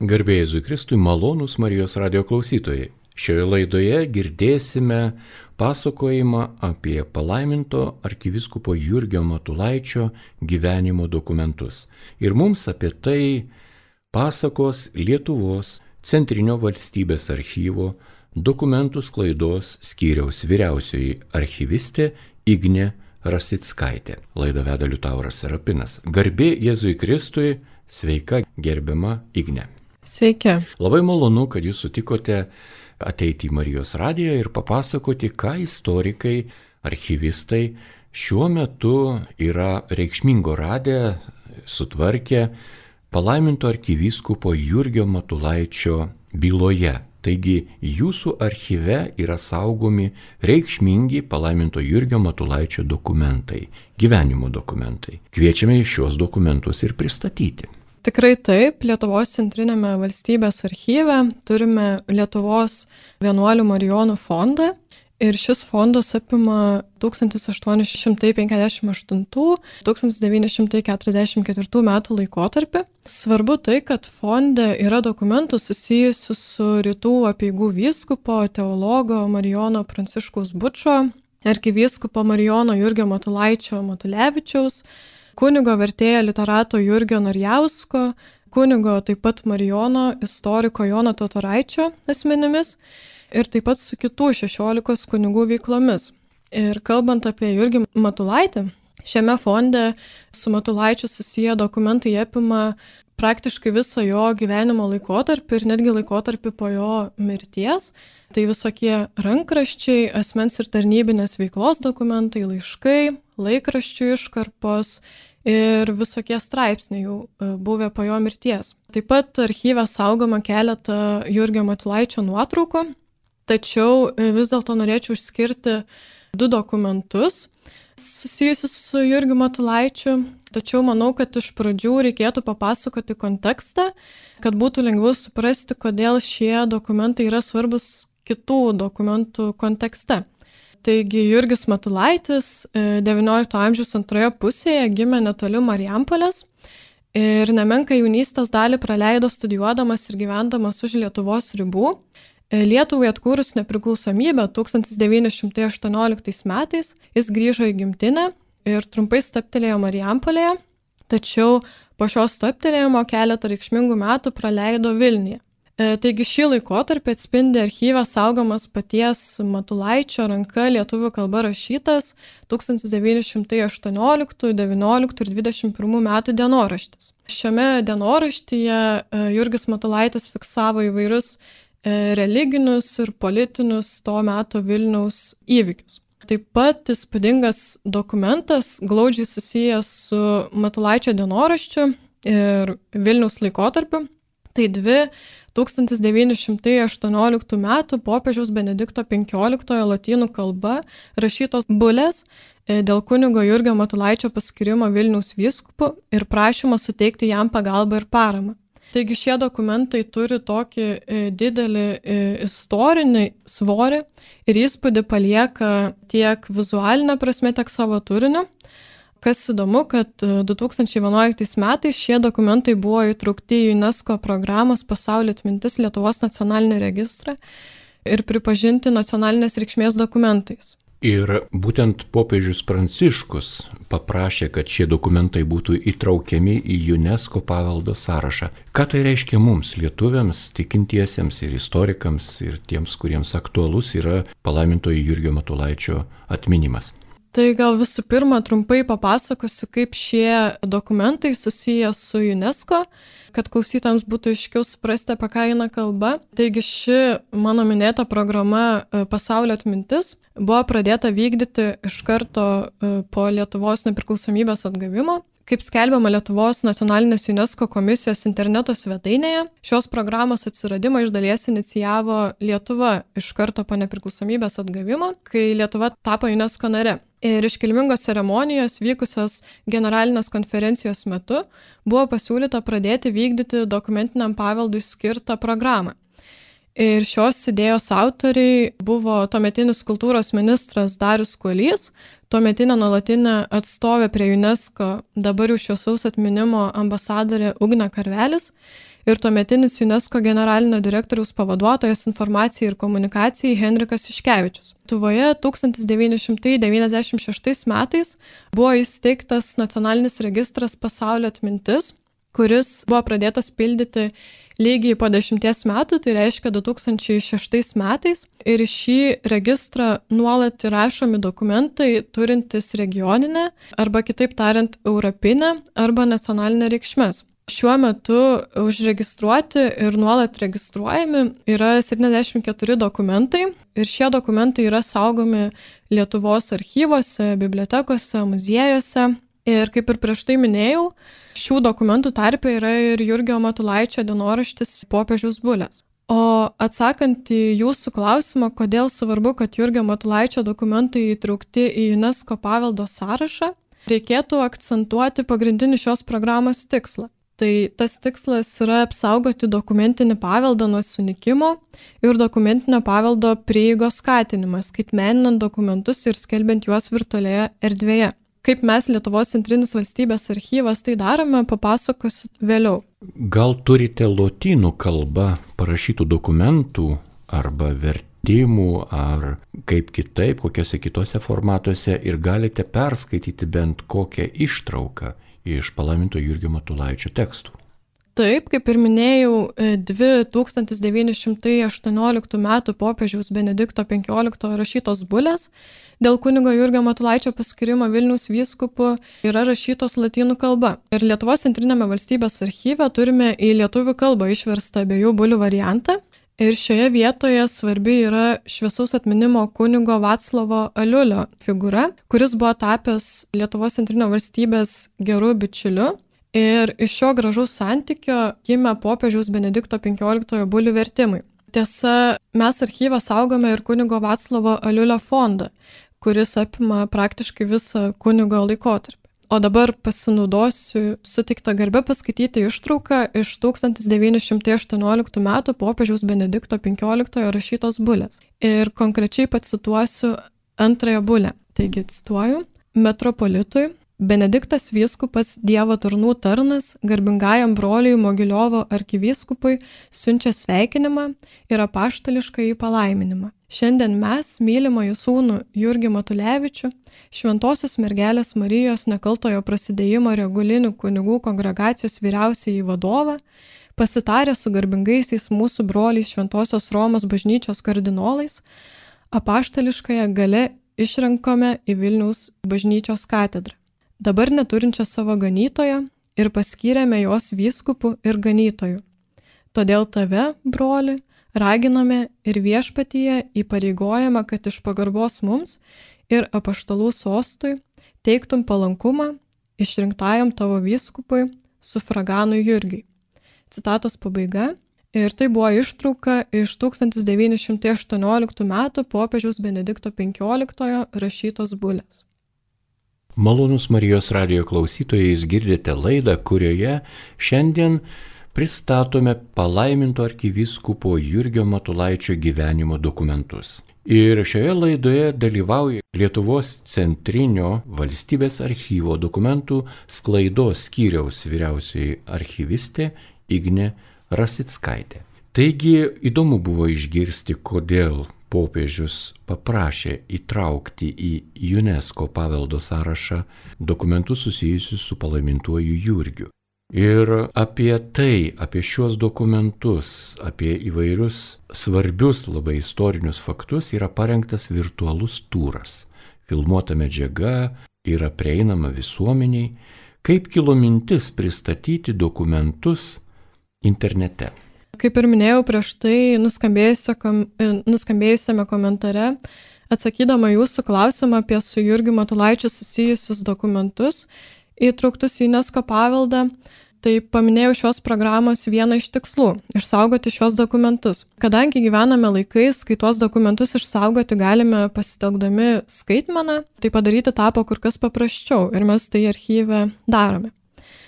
Garbė Jėzui Kristui, malonūs Marijos radijo klausytojai. Šioje laidoje girdėsime pasakojimą apie palaiminto arkivyskupo Jurgio Matulaičio gyvenimo dokumentus. Ir mums apie tai pasakos Lietuvos Centrinio valstybės archyvo dokumentų sklaidos skyriaus vyriausioji archyvistė Ignė Rasickaitė. Laidą veda Liutauras Serapinas. Garbė Jėzui Kristui, sveika gerbiama Ignė. Sveiki. Labai malonu, kad jūs sutikote ateiti į Marijos radiją ir papasakoti, ką istorikai, archyvistai šiuo metu yra reikšmingo radę, sutvarkę palaiminto arkivyskupo Jurgio Matulaičio byloje. Taigi jūsų archyve yra saugomi reikšmingi palaiminto Jurgio Matulaičio dokumentai, gyvenimo dokumentai. Kviečiame šios dokumentus ir pristatyti. Tikrai taip, Lietuvos Centrinėme valstybės archyve turime Lietuvos vienuolių marijonų fondą ir šis fondas apima 1858–1944 metų laikotarpį. Svarbu tai, kad fonde yra dokumentų susijusių su rytų apeigų vyskupo, teologo Marijono Pranciškaus Bučo, arkivyskupo Marijono Jurgio Matulaičio Matulevičiaus, kunigo vertėjo literato Jurgio Narjausko, kunigo taip pat Marijono istoriko Jono Totoraičio asmenimis ir taip pat su kitų 16 kunigų veiklomis. Ir kalbant apie Jurgį Matulaitį, šiame fonde su Matulaičiu susiję dokumentai apima praktiškai visą jo gyvenimo laikotarpį ir netgi laikotarpį po jo mirties. Tai visokie rankraščiai, asmens ir tarnybinės veiklos dokumentai, laiškai, laikraščių iškarpos ir visokie straipsniai jau buvę po jo mirties. Taip pat archyve saugoma keletą Jurgio Matulaičio nuotraukų, tačiau vis dėlto norėčiau išskirti 2 dokumentus susijusius su Jurgiu Matulaičiu, tačiau manau, kad iš pradžių reikėtų papasakoti kontekstą, kad būtų lengviau suprasti, kodėl šie dokumentai yra svarbus kitų dokumentų kontekste. Taigi Jurgis Matulaitis XIX amžiaus antroje pusėje gimė netoli Marijampolės ir nemenką jaunystės dalį praleido studijuodamas ir gyvendamas už Lietuvos ribų. Lietuvai atkūrus nepriklausomybę 1918 metais jis grįžo į gimtinę ir trumpai stabtelėjo Marijampolėje, tačiau po šio stabtelėjimo keletą reikšmingų metų praleido Vilniuje. Taigi šį laikotarpį atspindi archyve saugomas paties Matulaičio ranka lietuvių kalba rašytas 1918, 19 ir 21 metų dienoraštis. Šiame dienoraštyje Jurgis Matulaitis fiksavo įvairius religinius ir politinius to meto Vilniaus įvykius. Taip pat įspūdingas dokumentas, glaudžiai susijęs su Matulaičio dienoraščiu ir Vilniaus laikotarpiu. Tai 2 1918 metų popiežiaus Benedikto XV lotynų kalba rašytos bulės dėl kunigo Jurgio Matulaičio paskyrimo Vilniaus vyskupu ir prašymo suteikti jam pagalbą ir paramą. Taigi šie dokumentai turi tokį didelį istorinį svorį ir įspūdį palieka tiek vizualinę prasme, tiek savo turiniu. Kas įdomu, kad 2011 metais šie dokumentai buvo įtraukti į UNESCO programos Pasaulio atmintis Lietuvos nacionalinį registrą ir pripažinti nacionalinės reikšmės dokumentais. Ir būtent popiežius Pranciškus paprašė, kad šie dokumentai būtų įtraukiami į UNESCO paveldo sąrašą. Ką tai reiškia mums, lietuviams, tikintiesiems ir istorikams ir tiems, kuriems aktualus yra palaimintojo Jurgio Matulaičio atminimas? Tai gal visų pirma trumpai papasakosiu, kaip šie dokumentai susiję su UNESCO, kad klausytams būtų aiškiau suprasti, apie ką eina kalba. Taigi ši mano minėta programa Pasaulio atmintis buvo pradėta vykdyti iš karto po Lietuvos nepriklausomybės atgavimo. Kaip skelbiama Lietuvos nacionalinės UNESCO komisijos interneto svetainėje, šios programos atsiradimą iš dalies inicijavo Lietuva iš karto po nepriklausomybės atgavimo, kai Lietuva tapo UNESCO nare. Ir iškilmingos ceremonijos vykusios generalinės konferencijos metu buvo pasiūlyta pradėti vykdyti dokumentiniam paveldui skirtą programą. Ir šios idėjos autoriai buvo tuometinis kultūros ministras Darius Kuolys, tuometinė nuolatinė atstovė prie UNESCO, dabar jau šviesaus atminimo ambasadorė Ugnė Karvelis ir tuometinis UNESCO generalinio direktoriaus pavaduotojas informacijai ir komunikacijai Henrikas Iškevičius. Lietuvoje 1996 metais buvo įsteigtas nacionalinis registras Pasaulio atmintis, kuris buvo pradėtas pildyti lygiai po 10 metų, tai reiškia 2006 metais. Ir į šį registrą nuolat įrašomi dokumentai turintys regioninę arba kitaip tariant europinę arba nacionalinę reikšmės. Šiuo metu užregistruoti ir nuolat registruojami yra 74 dokumentai ir šie dokumentai yra saugomi Lietuvos archyvuose, bibliotekose, muziejuose. Ir kaip ir prieš tai minėjau, šių dokumentų tarpe yra ir Jurgio Matulaičio dienoraštis Popiežiaus bulės. O atsakant į jūsų klausimą, kodėl svarbu, kad Jurgio Matulaičio dokumentai įtraukti į UNESCO paveldo sąrašą, reikėtų akcentuoti pagrindinį šios programos tikslą. Tai tas tikslas yra apsaugoti dokumentinį paveldą nuo sunykimo ir dokumentinio paveldo prieigos skatinimas, skaitmeninant dokumentus ir skelbiant juos virtualioje erdvėje. Kaip mes Lietuvos centrinis valstybės archyvas tai darome, papasakosiu vėliau. Gal turite lotynų kalba parašytų dokumentų arba vertimų ar kaip kitaip, kokiuose kitose formatuose ir galite perskaityti bent kokią ištrauką iš palaiminto Jurgio Matulaičio tekstų? Taip, kaip ir minėjau, 1918 metų popiežiaus Benedikto XV rašytos bulės dėl kunigo Jurgio Matulaičio paskirimo Vilniaus vyskupu yra rašytos lotynų kalba. Ir Lietuvos centrinėme valstybės archyve turime į lietuvių kalbą išverstą abiejų bulių variantą. Ir šioje vietoje svarbi yra šviesaus atminimo kunigo Vaclovo Aliulio figūra, kuris buvo tapęs Lietuvos centrinio valstybės gerų bičiuliu. Ir iš šio gražaus santykio gimė popiežiaus Benedikto XV bulių vertimai. Tiesa, mes archyvą saugome ir kunigo Vaclovo Aliulio fondą, kuris apima praktiškai visą kunigo laikotarpį. O dabar pasinaudosiu suteiktą garbę paskaityti ištrauką iš 1918 metų popiežiaus Benedikto XV rašytos bulės. Ir konkrečiai pacituosiu antrąją bulę. Taigi cituoju: metropolitui Benediktas vyskupas Dievo tarnų tarnas garbingajam broliui Mogiliovo arkivyskupui siunčia sveikinimą ir apaštališkąjį palaiminimą. Šiandien mes, mylimąjį sūnų Jurgį Matulevičių, Šventosios mergelės Marijos nekaltojo prasidėjimo regulinių kunigų kongregacijos vyriausiąjį vadovą, pasitarę su garbingaisiais mūsų broliais Šventosios Romos bažnyčios kardinolais, apaštališkąją gale išrenkome į Vilniaus bažnyčios katedrą, dabar neturinčią savo ganytoją, ir paskyrėme jos vyskupų ir ganytojų. Todėl tave, broli, raginame ir viešpatyje įpareigojame, kad iš pagarbos mums ir apaštalų sostui teiktum palankumą išrinktajam tavo vyskupui sufraganui Jurgiui. Citatos pabaiga. Ir tai buvo ištrauka iš 1918 metų popiežiaus Benedikto XV rašytos bulės. Malonūs Marijos radijo klausytojai, jūs girdite laidą, kurioje šiandien pristatome palaiminto arkivyskupo Jurgio Matulaičio gyvenimo dokumentus. Ir šioje laidoje dalyvauja Lietuvos centrinio valstybės archyvo dokumentų sklaidos skyriaus vyriausioji archyvistė Ignė Rasickaitė. Taigi įdomu buvo išgirsti, kodėl popiežius paprašė įtraukti į UNESCO paveldo sąrašą dokumentus susijusius su palaimintuoju Jurgiu. Ir apie tai, apie šios dokumentus, apie įvairius svarbius labai istorinius faktus yra parengtas virtualus turas. Filmuota medžiaga yra prieinama visuomeniai, kaip kilo mintis pristatyti dokumentus internete. Kaip ir minėjau prieš tai nuskambėjusiame komentare, atsakydama jūsų klausimą apie su Jurgiu Matulaičiu susijusius dokumentus įtrauktus į UNESCO paveldą, tai paminėjau šios programos vieną iš tikslų – išsaugoti šios dokumentus. Kadangi gyvename laikais, kai tuos dokumentus išsaugoti galime pasitelkdami skaitmeną, tai padaryti tapo kur kas paprasčiau ir mes tai archyve darome.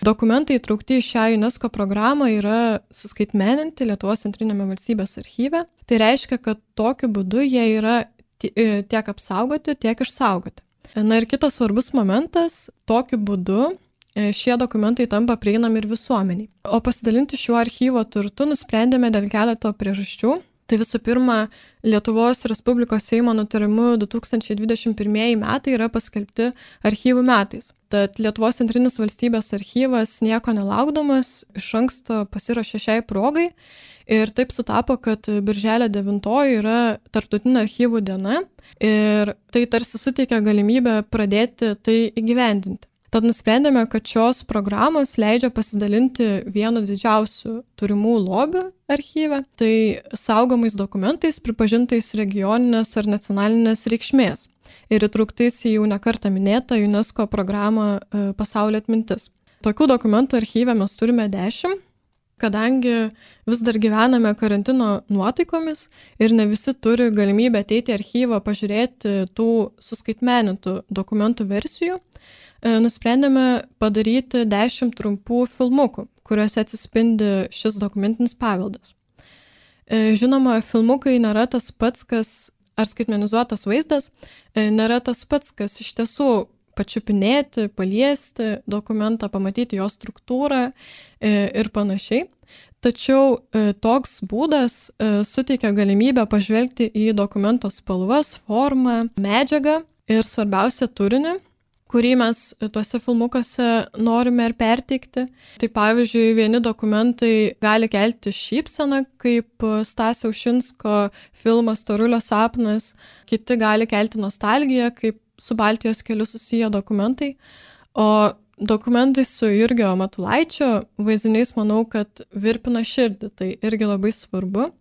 Dokumentai įtraukti į šią UNESCO programą yra suskaitmeninti Lietuvos centrinėme valstybės archyve. Tai reiškia, kad tokiu būdu jie yra tiek apsaugoti, tiek išsaugoti. Na ir kitas svarbus momentas, tokiu būdu šie dokumentai tampa prieinami ir visuomeniai. O pasidalinti šiuo archyvo turtu nusprendėme dėl keleto priežasčių. Tai visų pirma, Lietuvos Respublikos Seimo nutarimu 2021 metai yra paskelbti archyvų metais. Tad Lietuvos centrinis valstybės archyvas nieko nelaukdamas iš anksto pasiruošė šiai progai ir taip sutapo, kad birželio 9 yra tarptautinė archyvų diena ir tai tarsi suteikia galimybę pradėti tai įgyvendinti. Tad nusprendėme, kad šios programos leidžia pasidalinti vienu didžiausių turimų lobių archyve, tai saugomais dokumentais pripažintais regioninės ar nacionalinės reikšmės ir įtrauktais į jau nekartą minėtą UNESCO programą Pasaulio atmintis. Tokių dokumentų archyve mes turime 10, kadangi vis dar gyvename karantino nuotaikomis ir ne visi turi galimybę ateiti į archyvą pažiūrėti tų suskaitmenintų dokumentų versijų. Nusprendėme padaryti 10 trumpų filmukų, kuriuose atsispindi šis dokumentinis paveldas. Žinoma, filmukai nėra tas pats, ar skaitmenizuotas vaizdas, nėra tas pats, kas iš tiesų pačiupinėti, paliesti dokumentą, pamatyti jo struktūrą ir panašiai. Tačiau toks būdas suteikia galimybę pažvelgti į dokumento spalvas, formą, medžiagą ir svarbiausia turinį, kurį mes tuose filmukuose norime ir perteikti. Tai pavyzdžiui, vieni dokumentai gali kelti šypseną, kaip Stasio Ušinsko filmas Storulio sapnas, kiti gali kelti nostalgiją, kaip su Baltijos keliu susiję dokumentai, o dokumentai su Jurgio Matulaičio vaizdiniais manau, kad virpina širdį, tai irgi labai svarbu.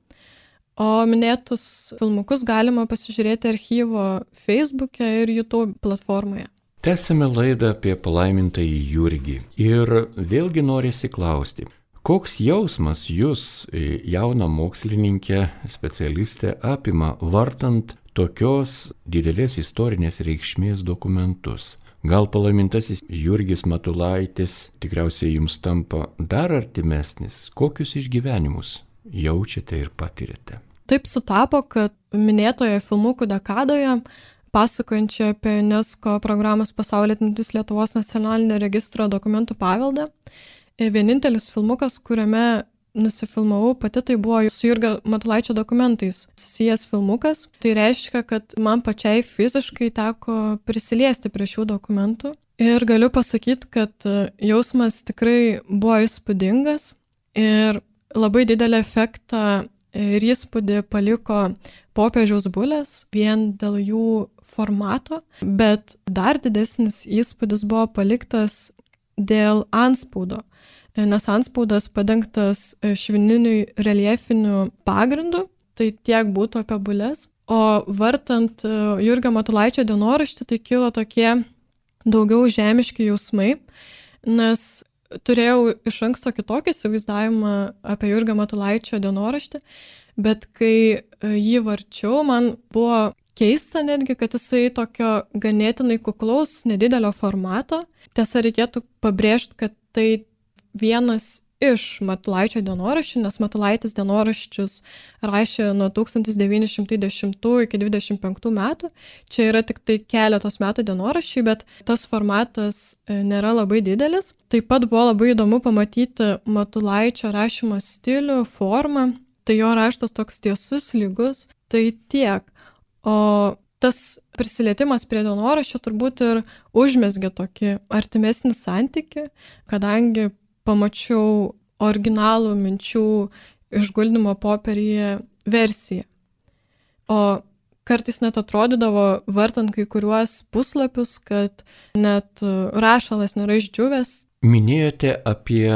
O minėtus filmukus galima pasižiūrėti archyvo Facebook'e ir YouTube platformoje. Tęsime laidą apie palaimintąjį Jurgį. Ir vėlgi norisi klausti, koks jausmas jūs, jauna mokslininkė, specialistė, apima vartant tokios didelės istorinės reikšmės dokumentus? Gal palaimintasis Jurgis Matulaitis tikriausiai jums tampa dar artimesnis? Kokius išgyvenimus jaučiate ir patiriate? Taip sutapo, kad minėtoje filmukų dekadoje pasakojančia apie UNESCO programos Pasaulio atmintis Lietuvos nacionalinio registro dokumentų paveldą. Vienintelis filmukas, kuriame nusifilmavau pati, tai buvo su Jurgio Matulaičio dokumentais susijęs filmukas. Tai reiškia, kad man pačiai fiziškai teko prisiliesti prie šių dokumentų. Ir galiu pasakyti, kad jausmas tikrai buvo įspūdingas ir labai didelį efektą ir įspūdį paliko popiežiaus bulės vien dėl jų formato, bet dar didesnis įspūdis buvo paliktas dėl antspaudo, nes antspaudas padengtas švininiu reljefiniu pagrindu, tai tiek būtų apie bulės. O vartant Jurgio Matulaičio dienoraštį, tai kilo tokie daugiau žemiški jausmai, nes turėjau iš anksto kitokį įsivaizdavimą apie Jurgio Matulaičio dienoraštį, bet kai jį varčiau, man buvo keista netgi, kad jisai tokio ganėtinai kuklaus, nedidelio formato. Tiesa, reikėtų pabrėžti, kad tai vienas iš Matulaičio dienoraščių, nes Matulaitis dienoraščius rašė nuo 1910 iki 25 metų. Čia yra tik tai keletos metų dienoraščiai, bet tas formatas nėra labai didelis. Taip pat buvo labai įdomu pamatyti Matulaičio rašymo stilių, formą. Tai jo raštas toks tiesus, lygus, tai tiek. O tas prisilietimas prie dienoraščio turbūt ir užmezgė tokį artimesnį santykį, kadangi pamačiau originalų minčių išguldymo popieriuje versiją. O kartais net atrodydavo, vartant kai kuriuos puslapius, kad net rašalas nėra išdžiūvęs. Minėjote apie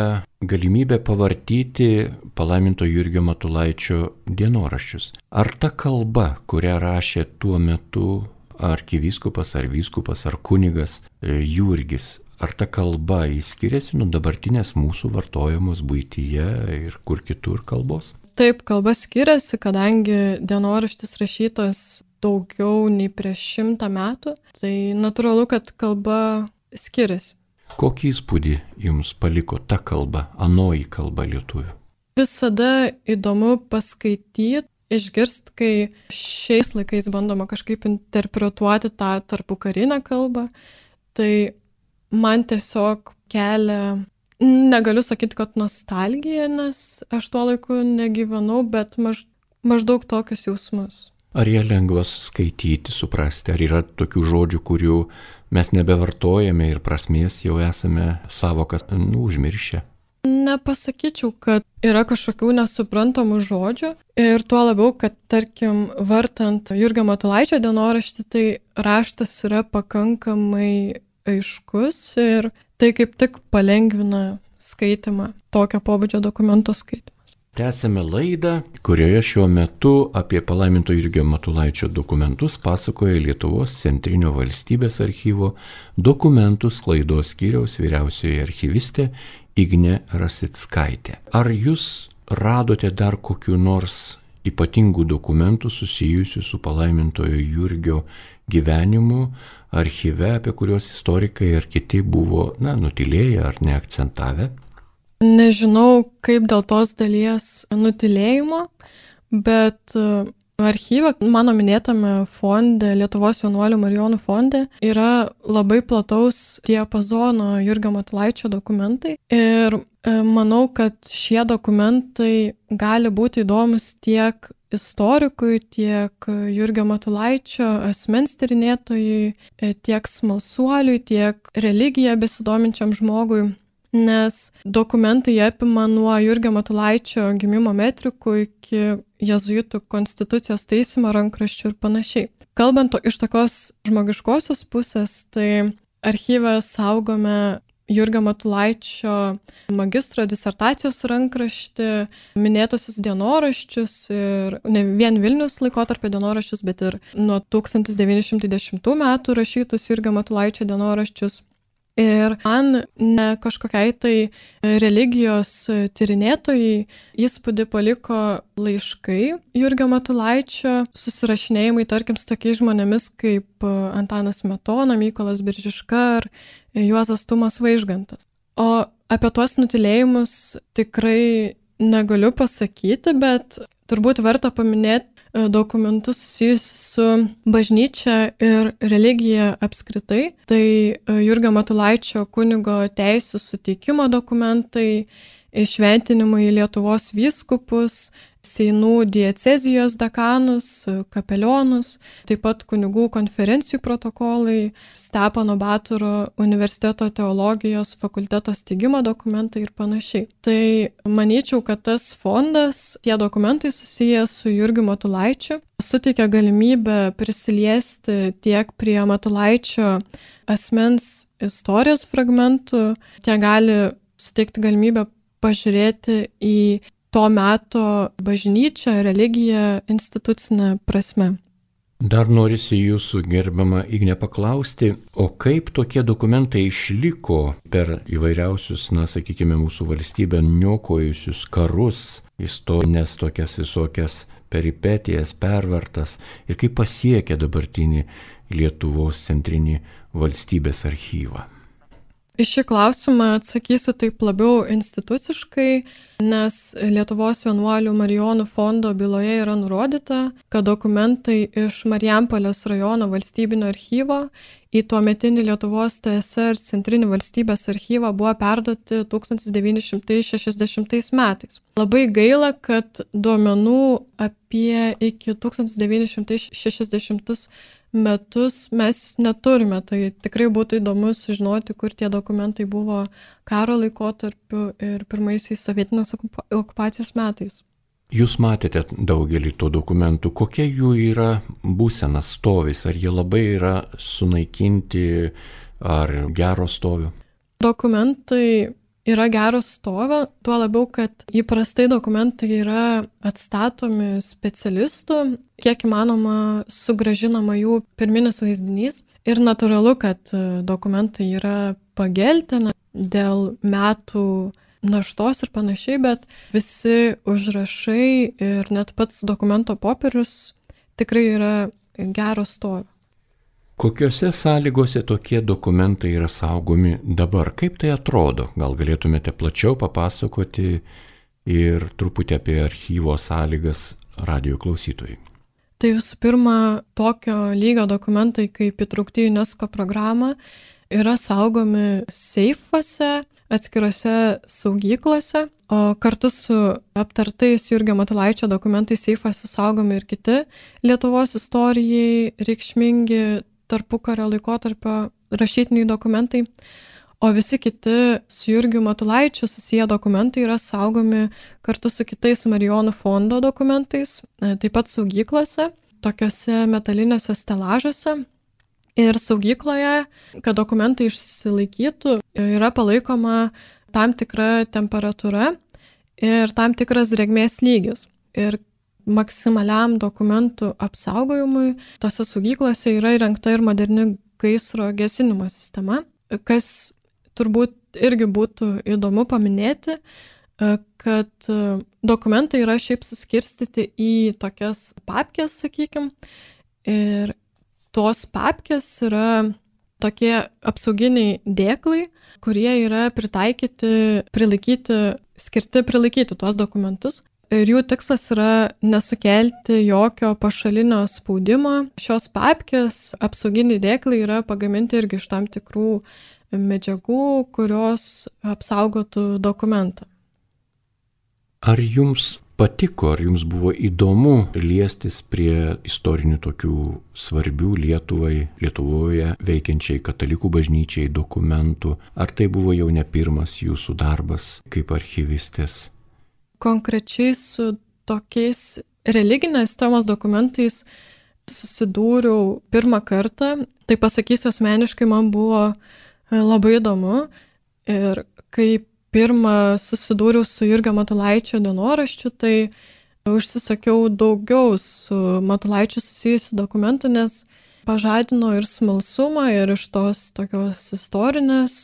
galimybę pavartyti palaiminto Jurgio Matulaičio dienoraščius. Ar ta kalba, kurią rašė tuo metu arkivyskupas ar vyskupas ar kunigas Jurgis, ar ta kalba skiriasi nuo dabartinės mūsų vartojamos buityje ir kur kitur kalbos? Taip, kalba skiriasi, kadangi dienoraštis rašytas daugiau nei prieš 100 metų, tai natūralu, kad kalba skiriasi. Kokį įspūdį jums paliko ta kalba, anoji kalba lietuvių? Visada įdomu paskaityti išgirsti, kai šiais laikais bandoma kažkaip interpretuoti tą tarpukarinę kalbą, tai man tiesiog kelia, negaliu sakyti, kad nostalgija, nes aš tuo laiku negyvenau, bet maždaug tokius jausmus. Ar jie lengvas skaityti, suprasti, ar yra tokių žodžių, kurių mes nebevartojame ir prasmės jau esame savokas užmiršę? Nepasakyčiau, kad yra kažkokių nesuprantamų žodžių ir tuo labiau, kad tarkim, vartant Jurgio Matulaičio dienoraštį, tai raštas yra pakankamai aiškus ir tai kaip tik palengvina skaitimą, tokio pobūdžio dokumento skaitimas. Tęsėme laidą, kurioje šiuo metu apie palaiminto Jurgio Matulaičio dokumentus pasakoja Lietuvos Centrinio valstybės archyvo dokumentų sklaidos skyriaus vyriausioji archyvistė Ignė Rasickaitė. Ar jūs radote dar kokiu nors ypatingų dokumentų susijusių su palaimintojo Jurgio gyvenimu archyve, apie kuriuos istorikai ar kiti buvo, nutylėję ar neakcentavę? Nežinau, kaip dėl tos dalies nutylėjimo, bet archyve, mano minėtame fonde, Lietuvos vienuolių Marijonų fonde, yra labai plataus diapazono Jurgio Matulaičio dokumentai ir manau, kad šie dokumentai gali būti įdomus tiek istorikui, tiek Jurgio Matulaičio asmens tyrinėtojui, tiek smalsuoliui, tiek religiją besidominčiam žmogui. Nes dokumentai apima nuo Jurgio Matulaičio gimimo metrikų iki jėzuitų konstitucijos taisymo rankraščių ir panašiai. Kalbant iš tokios žmogiškosios pusės, tai archyve saugome Jurgio Matulaičio magistro disertacijos rankraštį, minėtosius dienoraščius ir ne vien Vilniaus laikotarpio dienoraščius, bet ir nuo 1910 metų rašytus Jurgio Matulaičio dienoraščius. Ir man ne kažkokiai tai religijos tyrinėtojai įspūdį paliko laiškai Jurgio Matulaičio, susirašinėjimai, tarkim, su tokiais žmonėmis kaip Antanas Smetona, Mykolas Biržiška ar Juozas Tumas Vaižgantas. O apie tuos nutylėjimus tikrai negaliu pasakyti, bet turbūt verta paminėti dokumentus susijusius su bažnyčia ir religija apskritai. Tai Jurgio Matulaičio kunigo teisių suteikimo dokumentai, šventinimai Lietuvos vyskupus, Seinų diecezijos dekanus, kapelionus, taip pat kunigų konferencijų protokolai, Stepono Batoro universiteto teologijos fakulteto steigimo dokumentai ir panašiai. Tai manyčiau, kad tas fondas, tie dokumentai susiję su Jurgiu Matulaičiu, suteikia galimybę prisiliesti tiek prie Matulaičio asmens istorijos fragmentų, tiek gali suteikti galimybę pažiūrėti į to meto bažnyčią, religiją, institucinę prasme. Dar norisi jūsų, gerbiama Igne, paklausti, o kaip tokie dokumentai išliko per įvairiausius, sakykime, mūsų valstybę niokojusius karus, istorinės tokias visokias peripetijas, pervartas ir kaip pasiekė dabartinį Lietuvos centrinį valstybės archyvą? Į šį klausimą atsakysiu taip labiau instituciškai, nes Lietuvos vienuolių Marijonų fondo byloje yra nurodyta, kad dokumentai iš Marijampolės rajono valstybinio archyvo į tuometinį Lietuvos TSR centrinį valstybės archyvą buvo perduoti 1960 metais. Labai gaila, kad duomenų apie iki 1960 metus mes neturime, tai tikrai būtų įdomu sužinoti, kur tie dokumentai buvo karo laikotarpiu ir pirmaisiais sovietinės okupacijos metais. Jūs matėte daugelį tų dokumentų, kokia jų yra būsena stovis, ar jie labai yra sunaikinti, ar gero stovio? Dokumentai yra gero stovio, tuo labiau, kad įprastai dokumentai yra atstatomi specialistų, kiek įmanoma sugrąžinama jų pirminis vaizdinys. Ir natūralu, kad dokumentai yra pageltę dėl metų naštos ir panašiai, bet visi užrašai ir net pats dokumento popierius tikrai yra gero stovio. Kokiose sąlygose tokie dokumentai yra saugomi dabar? Kaip tai atrodo? Gal galėtumėte plačiau papasakoti ir truputį apie archyvo sąlygas radio klausytojai? Tai visų pirma, tokio lygio dokumentai, kaip įtraukti į UNESCO programą, yra saugomi seifuose, atskirose saugyklose, o kartu su aptartais Jurgio Matulaičio dokumentais seifuose saugomi ir kiti Lietuvos istorijai reikšmingi tarpukario laikotarpio rašytiniai dokumentai, o visi kiti su Jurgiu Matulaičiu susiję dokumentai yra saugomi kartu su kitais Marijonų fondo dokumentais, taip pat saugyklose, tokiuose metaliniuose stelažuose. Ir saugykloje, kad dokumentai išsilaikytų, yra palaikoma tam tikra temperatūra ir tam tikras drėgmės lygis. Ir maksimaliam dokumentų apsaugojimui tose saugyklose yra įrengta ir moderni gaisro gesinimo sistema, kas turbūt irgi būtų įdomu paminėti, kad dokumentai yra šiaip suskirstyti į tokias papkes, sakykime, ir tos papkės yra tokie apsauginiai dėklai, kurie yra skirti prilaikyti tuos dokumentus. Ir jų tikslas yra nesukelti jokio pašalinio spaudimo. Šios papkės apsauginiai dėklai yra pagaminti irgi iš tam tikrų medžiagų, kurios apsaugotų dokumentą. Ar jums patiko, ar jums buvo įdomu liestis prie istorinių tokių svarbių Lietuvoje veikiančiai katalikų bažnyčiai dokumentų? Ar tai buvo jau ne pirmas jūsų darbas kaip archyvistės? Konkrečiai su tokiais religinės temos dokumentais susidūriau pirmą kartą. Tai pasakysiu asmeniškai, man buvo labai įdomu. Ir kai pirmą susidūriau su Jurgio Matulaičio dienoraščiu, tai užsisakiau daugiau su Matulaičiu susijusių dokumentų, nes pažadino ir smalsumą, ir iš tos tokios istorinės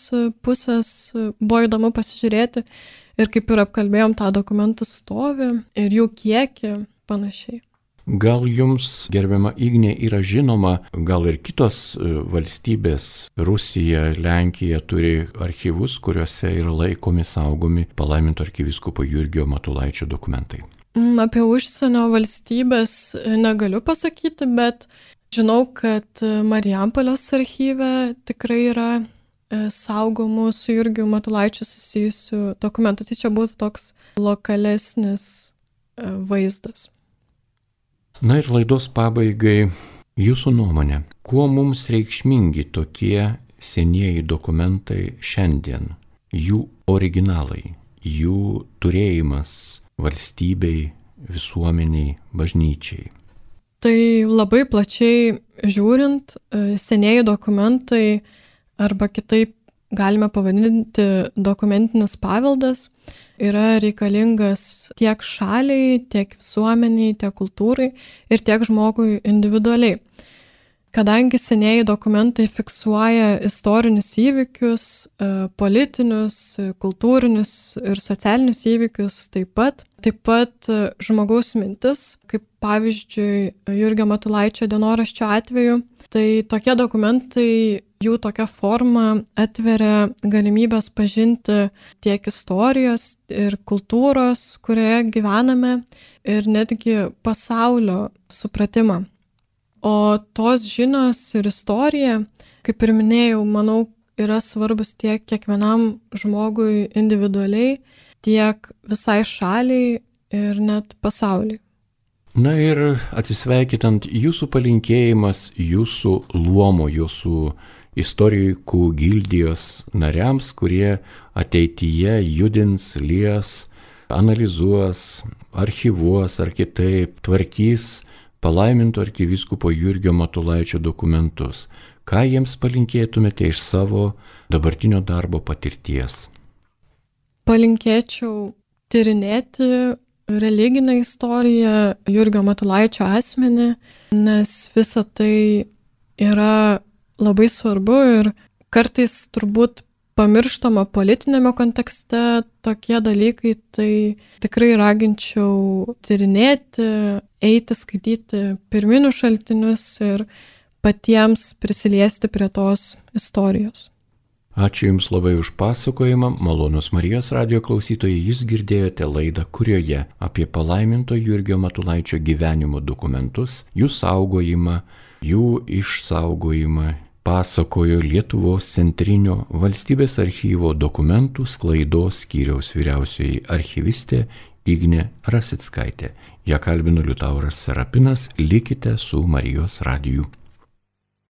pusės buvo įdomu pasižiūrėti. Ir kaip ir apkalbėjom tą dokumentų stovį ir jų kiekį panašiai. Gal jums, gerbiama Ignė, yra žinoma, gal ir kitos valstybės, Rusija, Lenkija turi archyvus, kuriuose yra laikomi, saugomi palaiminto arkivyskupo Jurgio Matulaičio dokumentai? Apie užsienio valstybės negaliu pasakyti, bet žinau, kad Marijampolės archyve tikrai yra saugomų su Jurgiu Matulaičiu susijusių dokumentų. Tai čia būtų toks lokalesnis vaizdas. Na ir laidos pabaigai, jūsų nuomonė, kuo mums reikšmingi tokie senieji dokumentai šiandien, jų originalai, jų turėjimas valstybei, visuomeniai, bažnyčiai? Tai labai plačiai žiūrint, senieji dokumentai arba kitaip galime pavadinti dokumentinis paveldas yra reikalingas tiek šaliai, tiek visuomeniai, tiek kultūrai ir tiek žmogui individualiai. Kadangi senieji dokumentai fiksuoja istorinius įvykius, politinius, kultūrinius ir socialinius įvykius taip pat žmogaus mintis, kaip pavyzdžiui Jurgio Matulaičio dienoraščio atveju, tai tokie dokumentai, jų tokia forma atveria galimybės pažinti tiek istorijos ir kultūros, kurioje gyvename, ir netgi pasaulio supratimą. O tos žinios ir istorija, kaip ir minėjau, manau, yra svarbus tiek kiekvienam žmogui individualiai, tiek visai šaliai ir net pasauliui. Na ir atsisveikinant, jūsų palinkėjimas jūsų luomo, jūsų istorikų gildijos nariams, kurie ateityje judins, lies, analizuos, archyvuos ar kitaip tvarkys palaiminto arkivyskupo Jurgio Matulaičio dokumentus. Ką jiems palinkėtumėte iš savo dabartinio darbo patirties? Palinkėčiau tyrinėti religinę istoriją, Jurgio Matulaičio asmenį, nes visa tai yra labai svarbu ir kartais turbūt pamirštama politinėme kontekste tokie dalykai, tai tikrai raginčiau tyrinėti, eiti, skaityti pirminius šaltinius ir patiems prisiliesti prie tos istorijos. Ačiū Jums labai už pasakojimą, malonus Marijos radijo klausytojai, Jūs girdėjote laidą, kurioje apie palaiminto Jurgio Matulaičio gyvenimo dokumentus, jų saugojimą, jų išsaugojimą pasakojo Lietuvos centrinio valstybės archyvo dokumentų sklaidos skyriaus vyriausioji archyvistė Ignė Rasickaitė. Ja kalbino Liutauras Serapinas, likite su Marijos radiju.